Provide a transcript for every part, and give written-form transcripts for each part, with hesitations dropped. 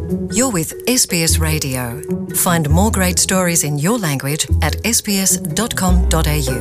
You're with SBS Radio. Find more great stories in your language at sbs.com.au.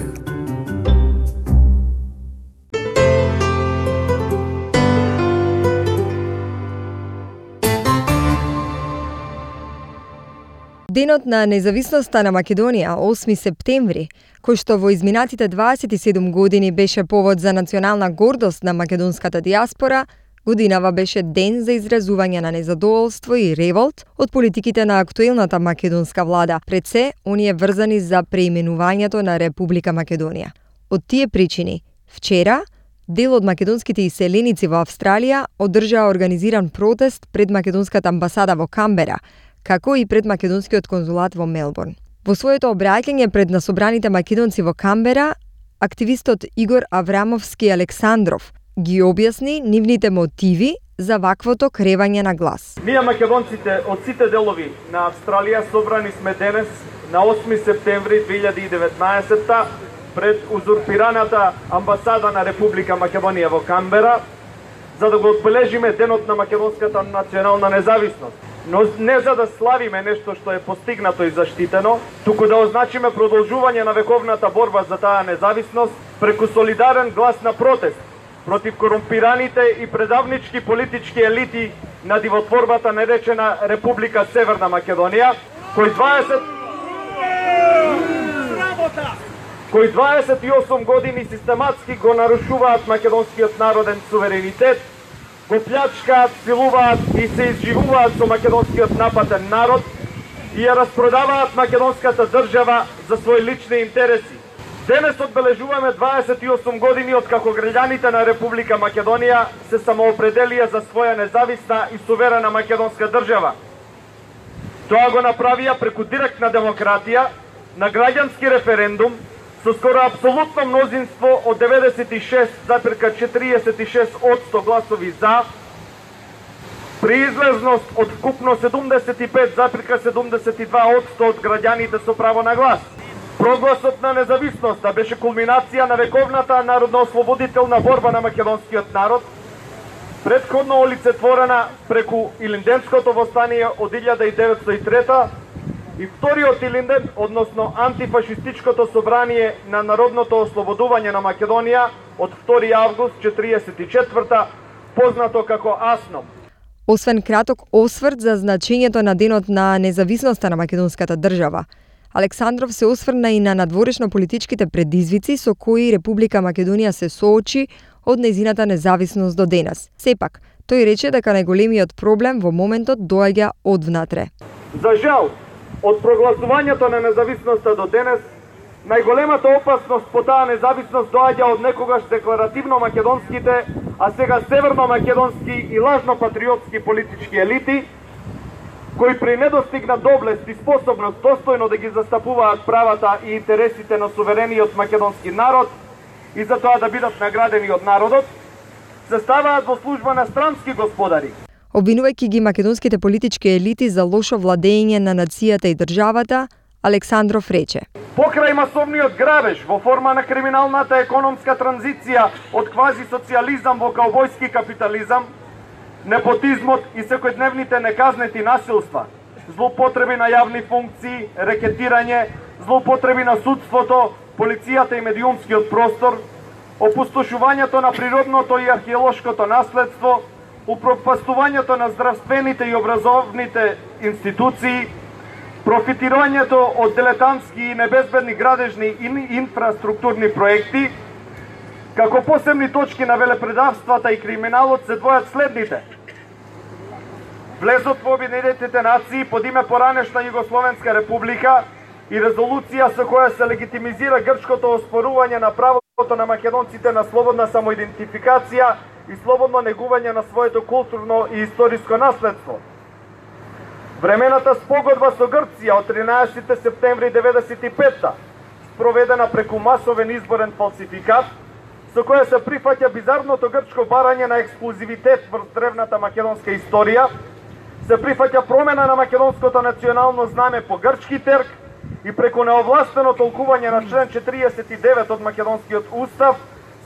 Денот на независноста на Македонија, 8 септември, кој што во изминатите 27 години беше повод за национална гордост на македонската диаспора, годинава беше ден за изразување на незадоволство и револт од политиките на актуелната македонска влада, пред се оние врзани за преименувањето на Република Македонија. Од тие причини, вчера, дел од македонските иселеници во Австралија одржаа организиран протест пред македонската амбасада во Камбера, како и пред македонскиот конзулат во Мелбурн. Во своето обраќање пред насобраните македонци во Камбера, активистот Игор Аврамовски Александров ги објасни нивните мотиви за ваквото кревање на глас. Ние македонците од сите делови на Австралија собрани сме денес на 8 септември 2019 пред узурпираната амбасада на Република Македонија во Камбера, за да го одбележиме денот на македонската национална независност. Но не за да славиме нешто што е постигнато и заштитено, туку да означиме продолжување на вековната борба за таа независност преку солидарен глас на протест против корумпираните и предавнички политички елити на дивотворбата наречена Република Северна Македонија, кои 28 години систематски го нарушуваат македонскиот народен суверенитет, го плячкаат, силуваат и се изживуваат со македонскиот напатен народ и ја распродаваат македонската држава за своји лични интереси. Денес одбележуваме 28 години од како граѓаните на Република Македонија се самоопределија за своја независна и суверена македонска држава. Тоа го направија преку директна демократија, на граѓански референдум, со скоро апсолутно мнозинство од 96,46% гласови за, при излезност од вкупно 75,72% од граѓаните со право на глас. Прогласот на независноста беше кулминација на вековната народно-ослободителна борба на македонскиот народ, претходно олицетворена преку Илинденското востание од 1903 и вториот Илинден, односно антифашистичкото собрание на народното ослободување на Македонија од 2 август 1944, познато како АСНОМ. Освен краток осврт за значењето на денот на независноста на македонската држава, Александров се осврна и на надворешно политичките предизвици со кои Република Македонија се соочи од нејзината независност до денес. Сепак, тој рече дека најголемиот проблем во моментот доаѓа од внатре. За жал, од прогласувањето на независноста до денес, најголемата опасност по таа независност доаѓа од некогаш декларативно македонските, а сега северно-македонски и лажно-патриотски политички елити, кои при недостигна доблест и способност достојно да ги застапуваат правата и интересите на суверениот македонски народ и за тоа да бидат наградени од народот, се ставаат во служба на странски господари. Обвинувајќи ги македонските политички елити за лошо владење на нацијата и државата, Александров рече: Покрај масовниот грабеж во форма на криминалната економска транзиција од квази-социјализам во каубојски капитализам, непотизмот и секојдневните неказнети насилства, злоупотреби на јавни функции, рекетирање, злоупотреби на судството, полицијата и медиумскиот простор, опустошувањето на природното и археолошкото наследство, упропастувањето на здравствените и образовните институции, профитирањето од дилетантски и небезбедни градежни и инфраструктурни проекти, како посебни точки на велепредавствата и криминалот се двојат следните. Влезот во Обединетите нации под име поранешна Југословенска република и резолуција со која се легитимизира грчкото оспорување на правото на македонците на слободна самоидентификација и слободно негување на своето културно и историско наследство. Времената спогодба со Грција од 13 септември 1995, спроведена преку масовен изборен фалсификат, со која се прифаќа бизарното грчко барање на ексклузивитет врз древната македонска историја, се прифаќа промена на македонското национално знаме по грчки терк и преку неовластено толкување на член 49 од македонскиот устав,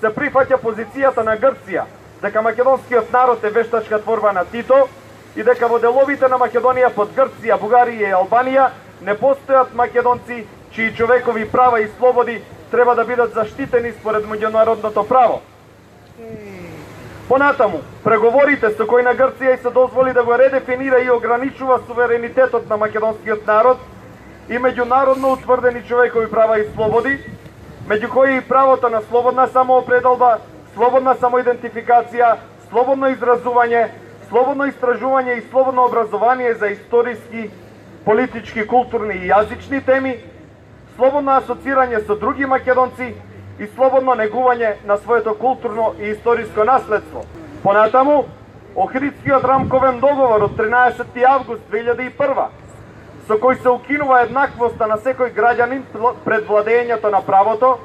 се прифаќа позицијата на Грција дека македонскиот народ е вештачка творба на Тито и дека во деловите на Македонија под Грција, Бугарија и Албанија не постојат македонци чии човекови права и слободи треба да бидат заштитени според меѓународното право. Понатаму, преговорите со кои на Грција и се дозволи да го редефинира и ограничува суверенитетот на македонскиот народ и меѓународно утврдени човекови права и слободи, меѓу кои и правото на слободна самоопределба, слободна самоидентификација, слободно изразување, слободно истражување и слободно образование за историски, политички, културни и јазични теми, слободно асоцирање со други македонци и слободно негување на своето културно и историско наследство. Понатаму, Охридскиот рамковен договор од 13. август 2001, со кој се укинува еднаквоста на секој граѓанин пред владењето на правото,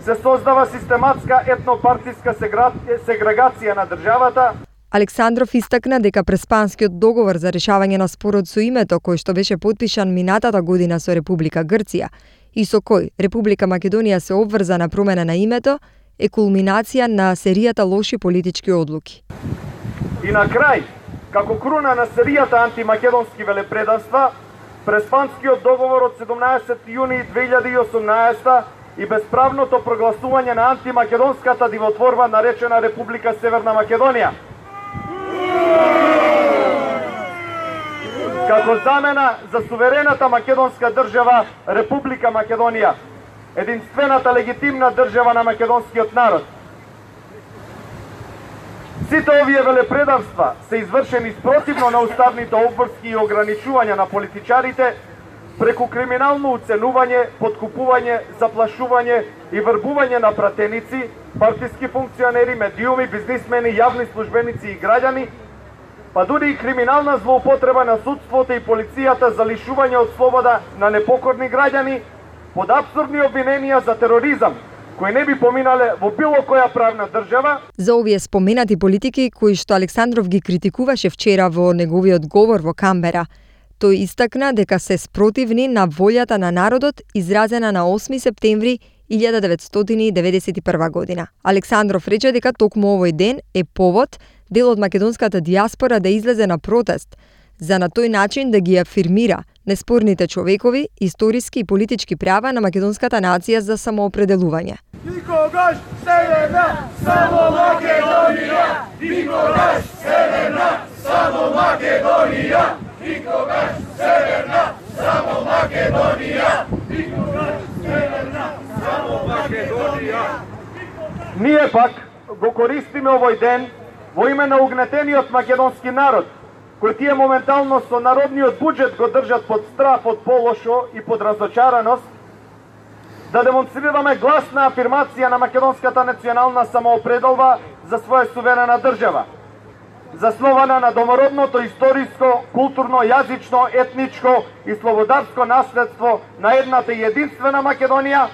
се создава систематска етнопартиска сегрегација на државата. Александров истакна дека Преспанскиот договор за решавање на спорот со името, кој што беше потпишан минатата година со Република Грција и со кој Република Македонија се обврза на промена на името, е кулминација на серијата лоши политички одлуки. И на крај, како круна на серијата антимакедонски велепредавства, Преспанскиот договор од 17. јуни 2018 и безправното прогласување на антимакедонската дивотворба наречена Република Северна Македонија. Како замена за суверената македонска држава Република Македонија, единствената легитимна држава на македонскиот народ. Сите овие велепредавства се извршени спротивно на уставните обврски и ограничувања на политичарите преку криминално уценување, подкупување, заплашување и врбување на пратеници, партиски функционери, медиуми, бизнисмени, јавни службеници и граѓани, па дури и криминална злоупотреба на судството и полицијата за лишување од слобода на непокорни граѓани под апсурдни обвиненија за тероризам, кои не би поминале во било која правна држава. За овие споменати политики кои што Александров ги критикуваше вчера во неговиот говор во Камбера, тој истакна дека се спротивни на волјата на народот изразена на 8 септември 1991 година. Александров рече дека токму овој ден е повод дел од македонската дијаспора да излезе на протест, за на тој начин да ги афирмира неспорните човекови, историски и политички права на македонската нација за самоопределување. Никогаш Северна, само Македонија! Никогаш Северна, само Македонија! Никогаш Северна, само Македонија! Никогаш Северна, само Македонија! Ние пак го користиме овој ден во име на угнетениот македонски народ, кој тие моментално со народниот буџет го држат под страф од полошо и под разочараност, да демонстрираме гласна афирмација на македонската национална самоопределба за своја суверена држава, заснована на домородното историско, културно, јазично, етничко и слободарско наследство на едната и единствена Македонија,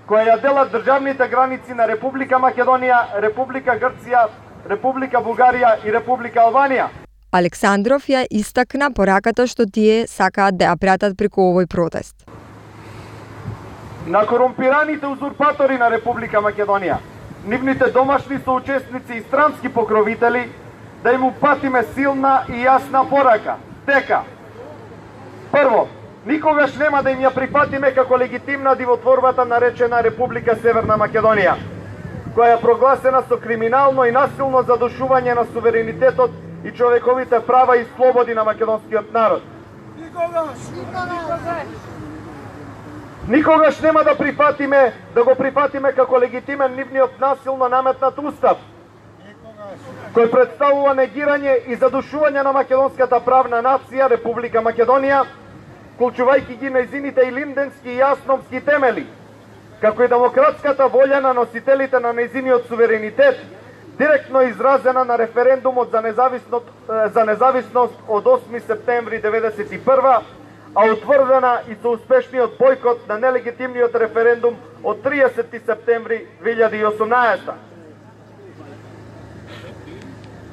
која ја делат државните граници на Република Македонија, Република Грција, Република Бугарија и Република Албанија. Александров ја истакна пораката што тие сакаат да ја пратат преку овој протест. На корумпираните узурпатори на Република Македонија, нивните домашни соучесници и странски покровители, да им упатиме силна и јасна порака, дека прво, никогаш нема да им ја прифатиме како легитимна дивотворбата наречена Република Северна Македонија, која е прогласена со криминално и насилно задушување на суверенитетот и човековите права и слободи на македонскиот народ. Никогаш нема да го прифатиме како легитимен нивниот насилно наметнат устав, кој представува негирање и задушување на македонската правна нација Република Македонија, вклучувајќи ги нејзините и линденски и јасновски темели, како и демократската волја на носителите на нејзиниот суверенитет, директно изразена на референдумот за независност од 8 септември 1991, а утврдена и со успешниот бојкот на нелегитимниот референдум од 30 септември 2018.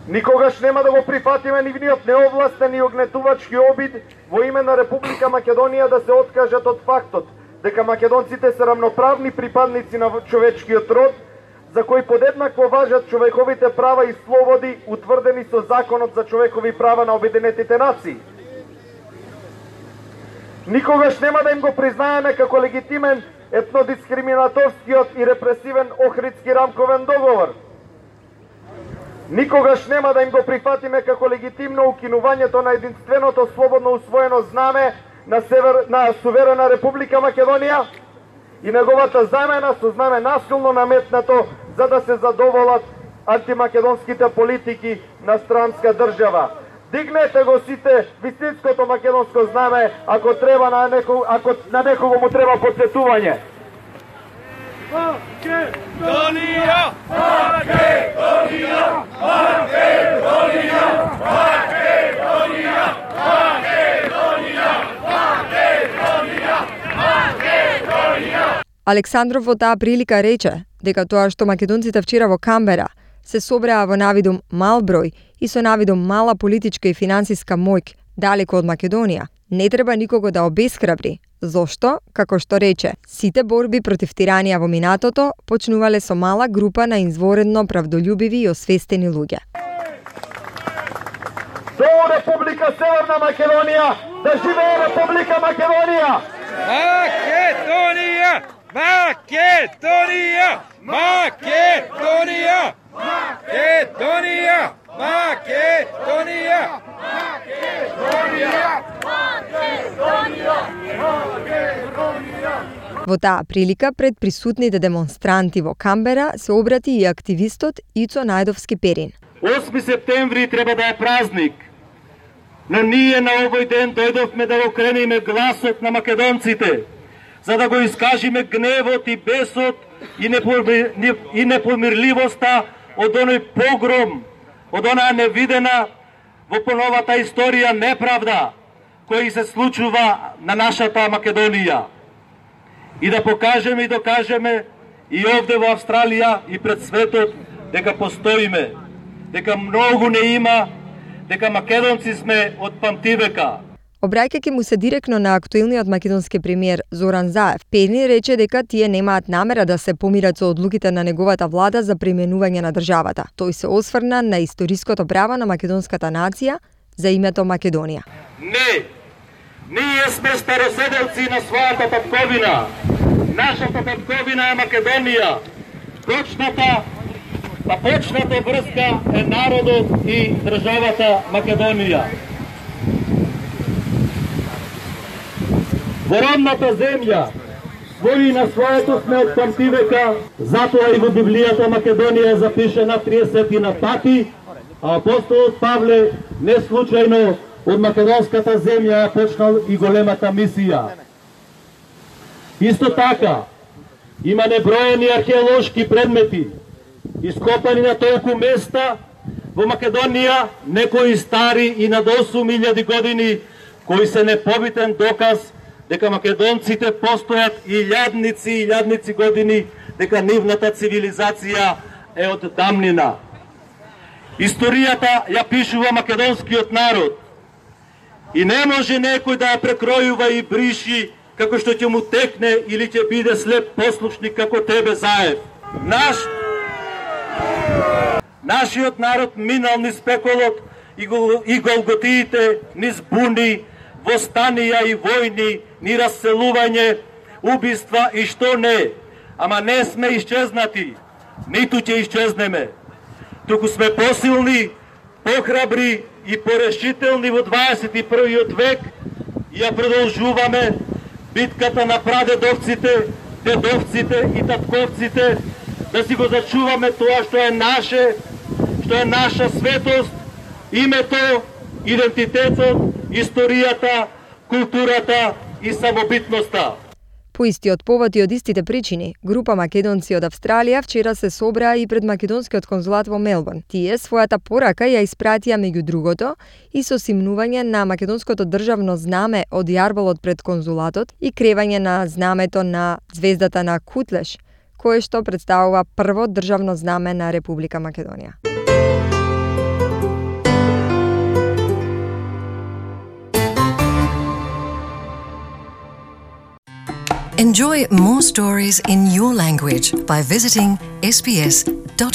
Никогаш нема да го прифатиме нивниот неовластен и огнетувачки обид во име на Република Македонија да се откажат од фактот дека македонците се рамноправни припадници на човечкиот род, за кои подеднакво важат човековите права и слободи утврдени со Законот за човекови права на Обединетите нации. Никогаш нема да им го признаеме како легитимен етнодискриминаторскиот и репресивен Охридски рамковен договор. Никогаш нема да им го прифатиме како легитимно укинувањето на единственото слободно усвоено знаме на суверена Република Македонија и неговата замена со знаме насилно наметнато за да се задоволат антимакедонските политики на странска држава. Дигнете го сите вистинското македонско знаме ако на некого му треба потсетување. Македонија! Македонија! Македонија! Македонија! Македонија! Македонија! Македонија! Александров во таа прилика рече дека тоа што македонците вчера во Камбера се собраа во навидум мал број и со навидум мала политичка и финансиска моќ далеко од Македонија, не треба никого да обесхрабри. Зошто, како што рече, сите борби против тиранија во минатото почнувале со мала група на изворедно правдолюбиви и освестени луѓе. До Република Северна Македонија, да живее Република Македонија! Македонија! Македонија! Македонија! Македонија! Македонија! Во таа прилика пред присутните демонстранти во Камбера се обрати и активистот Ицо Најдовски Перин. 8 септември треба да е празник, но ние на овој ден дојдовме да го крениме гласот на македонците, за да го искажиме гневот и бесот и непомирливоста од оној погром, од онаа невидена во поновата историја неправда која се случува на нашата Македонија. И да покажеме и докажеме и овде во Австралија и пред светот дека постоиме, дека многу не има, дека македонци сме од памтивека. Обраќајќи му се директно на актуелниот македонски премиер Зоран Заев, Перин рече дека тие немаат намера да се помират со одлуките на неговата влада за преименување на државата. Тој се осврна на историското право на македонската нација за името Македонија. Не, ние сме староседелци на својата татковина. Нашата татковина е Македонија. Почната врска е народот и државата Македонија. Во родната земја, своји на своето сме од памтивека, затоа и во Библијата Македонија е запишена 30 пати, а апостолот Павле не случајно од македонската земја ја почнал и големата мисија. Исто така, има неброени археолошки предмети, ископани на толку места во Македонија, некои стари и над 8000 години, кои се непобитен доказ дека македонците постојат илјадници години, дека нивната цивилизација е од дамнина. Историјата ја пишува македонскиот народ и не може некој да ја прекројува и бриши како што ќе му текне или ќе биде слеп послушник како тебе, Заев. Нашиот народ минал низ пеколот и голготиите, низ буни, востанија и војни, ни расселување, убиства и што не. Ама не сме исчезнати, ниту ќе исчезнеме. Туку сме посилни, похрабри и порешителни во 21. век и ја продолжуваме битката на прадедовците, дедовците и татковците, да си го зачуваме тоа што е наше, што е наша светост, името, идентитетот, историјата, културата и самобитноста. По истиот повод и од истите причини, група македонци од Австралија вчера се собраа и пред македонскиот конзулат во Мелбурн. Тие својата порака ја испратија меѓу другото и со симнување на македонското државно знаме од јарболот пред конзулатот и кревање на знамето на звездата на Кутлеш, кое што представува прво државно знаме на Република Македонија. Enjoy more stories in your language by visiting sbs.com.au.